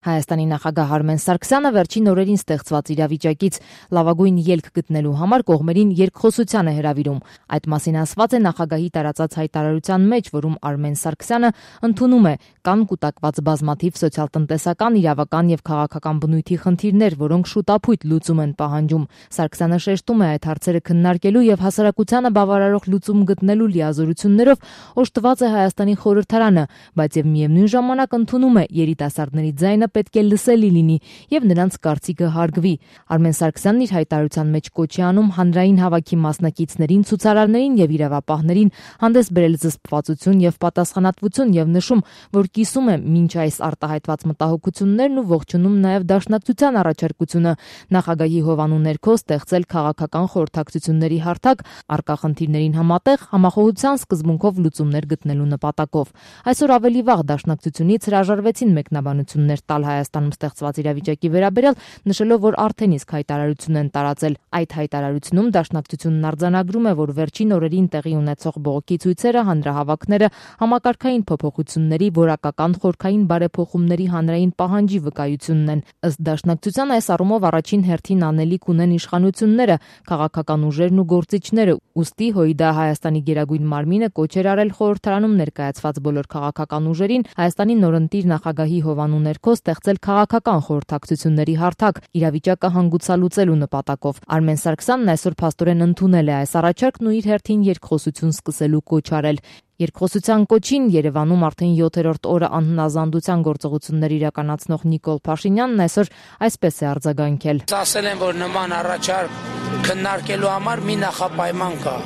Հայաստանի նախագահ Արմեն Սարգսյանը վերջին օրերին ստեղծված իրավիճակից լավագույն ելք գտնելու համար կողմերին երկխոսության է հրավիրում։ Այդ մասին ասված է նախագահի տարածած հայտարարության մեջ, որում Արմեն Սարգսյանը ընդունում է կան կուտակված բազմաթիվ սոցիալ-տնտեսական, իրավական եւ քաղաքական բնույթի խնդիրներ, որոնք շուտապույտ լուծում են պահանջում։ Սարգսյանը շեշտում է այդ հարցերը քննարկելու եւ հասարակությանը բավարարող լուծում գտնելու լիազորություններով օժտված է Հայաստանի խորհրդարանը, բայց եւ միևնույն ժամանակ ընդունում է երիտասարդների ձայնը պետք է լսելի լինի եւ նրանց կարծիքը հարգվի։ Արմեն Սարգսյանն իր հայտարարության մեջ կոչ է անում հանրային հավաքի մասնակիցներին, ցուցարարներին եւ իրավապահներին հանդես բերել զսպվածություն եւ պատասխանատվություն եւ նշում, որ կիսում է մինչ այս արտահայտված մտահոգություններն ու ողջունում նաեւ դաշնակցության առաջարկությունը նախագահի հովանու ներքո ստեղծել քաղաքական խորհրդակցությունների հարթակ արկա խնդիրներին համատեղ համախոհության սկզբունքով լուծումներ գտնելու նպատակով։ Այսօր ավելի վաղ դաշնակցությունից հրաժարվեցին մեկնաբանություններ տալ Հայաստանում ստեղծված իրավիճակի վերաբերյալ, նշելով, որ արդեն իսկ հայտարարություն են տարածել։ Այդ հայտարարությունում դաշնակցությունն արձանագրում է, որ վերջին օրերին տեղի ունեցող բողոքի ցույցերը, հանրահավաքները համակարգային փոփոխությունների, որակական խորքային բարեփոխումների հանրային պահանջի վկայությունն են։ Ըստ դաշնակցության այս առումով առաջին հերթին անելիք ունեն իշխանությունները, քաղաքական ուժերն ու գործիչները, ուստի ՀՅԴ Հայաստանի գերագույն մարմինը կոչ էր արել խորհրդարանում ներկայացված բոլոր քաղաքական ուժերին Հայաստանի նորընտիր նախագահի հովանու ներքո ստեղծել քաղաքական խորհրդակցությունների հարթակ իրավիճակը հանգուցալուծելու նպատակով։ Արմեն Սարգսյանն այսօր փաստորեն ընդունել է այս առաջարկն ու իր հերթին երկխոսություն սկսելու կոչ արել։ Երկխոսության կոչին Երևանում արդեն 7-րդ օրը անհնազանդության գործողություններ իրականացնող Նիկոլ Փաշինյանն այսօր այսպես է արձագանքել։ Ասել են, որ նման առաջարկ քննարկելու համար մի նախապայման կա։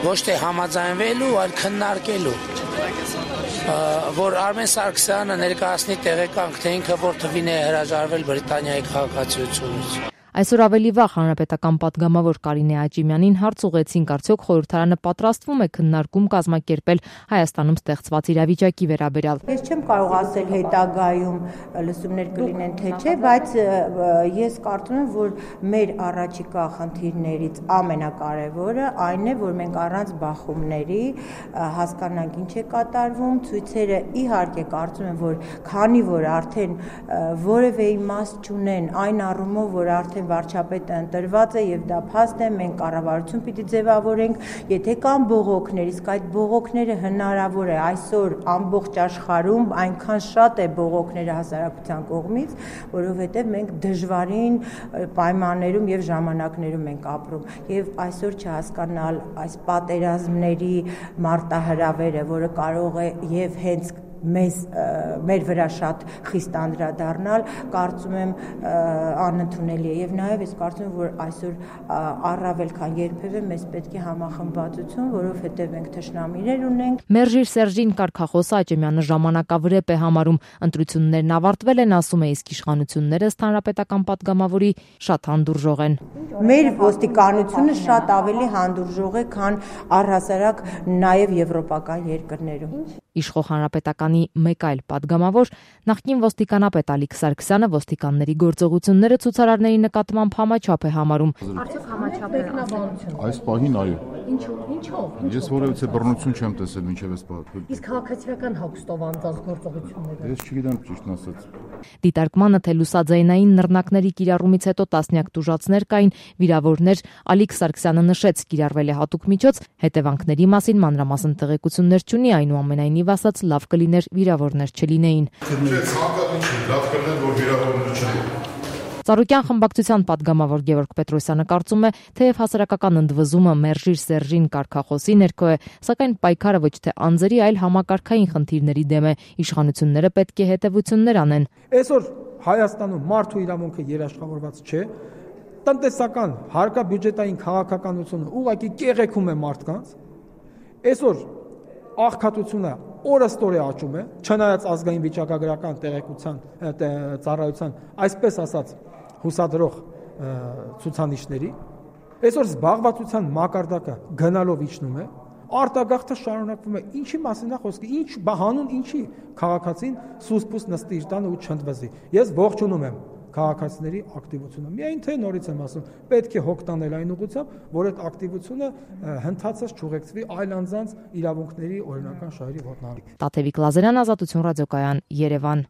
Ոչ թե համաձայնվելու, այլ քննարկելու։ Որ Արմեն Սարգսյանը ներկայացնի տեղեկանք, թե ինքը որ թվին է հրաժարվել Բրիտանիայի քաղաքացիությունից։ Այսօր ավելի վաղ հանրապետական պատգամավոր Կարինե Աճիմյանին հարց ուղղեցին, արդյոք խորհրդարանը պատրաստվում է քննարկում կազմակերպել Հայաստանում ստեղծված իրավիճակի վերաբերյալ։ Ես չեմ կարող ասել հետագայում լսումներ կլինեն թե չէ, բայց ես կարծում եմ, որ մեր առաջիկա խնդիրներից ամենակարևորը այն է, որ մենք առանց բախումների հասկանանք ինչ է կատարվում, ցույցերը իհարկե կարծում եմ, որ քանի որ արդեն որևէ իմաստ չունեն այն առումով, որ արդեն վարչապետը ընտրված է եւ դա փաստ է, մենք կառավարություն պիտի ձևավորենք, եթե կան բողոքներ, իսկ այդ բողոքները հնարավոր է այսօր ամբողջ աշխարհում այնքան շատ է բողոքները հասարակության կողմից, որովհետեւ մենք դժվարին պայմաններում եւ ժամանակներում ենք ապրում եւ այսօր չհասկանալ այս պատերազմների մարտահրավերը, որը կարող է եւ հենց մեր վրա շատ խիստ անդրադառնալ, կարծում եմ անընդունելի է եւ նաեւ ես կարծում եմ, որ այսօր առավել քան երբևէ մեզ պետք է համախմբվածություն, որովհետեւ մենք թշնամիներ ունենք։ Մերժիր Սերժին կարգախոսը Աճեմյանը ժամանակավրեպ է համարում, ընտրություններն ավարտվել են, ասում է, իսկ իշխանությունները ըստ հանրապետական պատգամավորի շատ հանդուրժող են։ Մեր ոստիկանությունը շատ ավելի հանդուրժող է, քան առհասարակ նաեւ եվրոպական երկրներում։ Իշխող հանրապետականի մեկ այլ պատգամավոր նախկին ոստիկանապետ Ալիկ Սարգսյանը ոստիկանների գործողությունները ցուցարարների նկատմամբ համաչափ է համարում։ Արդյոք համաչափ է բնություն։ Այս պահին այո։ Ինչով։ Ես որևէ բռնություն չեմ տեսել մինչև այս պահը։ Իսկ քաղաքացիական հագուստով անցած գործողությունները։ Ես չգիտեմ ճիշտն ասած։ Դիտարկմանը թե լուսաձայնային նռնակների կիրառումից հետո տասնյակ տուժածներ կային, վիրավորներ, Ալիկ Սարգսյանը նշեց, կիրառվել է հատուկ միջոց, հետևանքների մասին մանրամասն տեղեկություններ չունի, այնուամենայնիվ ասաց, լավ կլիներ վիրավորներ չլինեին։ Լավ կլիներ, որ վիրավորներ չլինեին։ Ծառուկյան խմբակցության պատգամավոր Գևորգ Պետրոսյանը կարծում է, թեև հասարակական ընդվզումը Մերժիր Սերժին կարգախոսի ներքո է, սակայն պայքարը ոչ թե անձերի, այլ համակարգային խնդիրների դեմ է, իշխանությունները պետք է հետևություններ անեն։ Այսօր Հայաստանում մարդու իրավունքը երաշխավորված չէ, տնտեսական հարկաբյուջետային քաղաքականությունը ուղղակի կեղեքում է մարդկանց։ Այսօր աղքատությունը օրըստօրե աճում է, չնայած ազգային վիճակագրական տեղեկության ծառայության, այսպես ասած, հուսադրող ցուցանիշների, այսօր զբաղվածության մակարդակը գնալով իջնում է, արտագաղթը շարունակվում է, ինչի մասին է խոսքը, ինչ հանուն ինչի քաղաքացին սուսպուս նստի իր տանը ու չընդվզի։ Ես ողջունում եմ քաղաքացիների ակտիվությունը։ Միայն թե նորից եմ ասում, պետք է հոգ տանել այն ուղղությամբ, որ այդ ակտիվությունը հնդածած չուղեկցվի այլ անձանց իրավունքների օրինական շահերի ոտնահարի։ Տաթևիկ Լազարյան, Ազատություն ռադիոկայան, Երևան։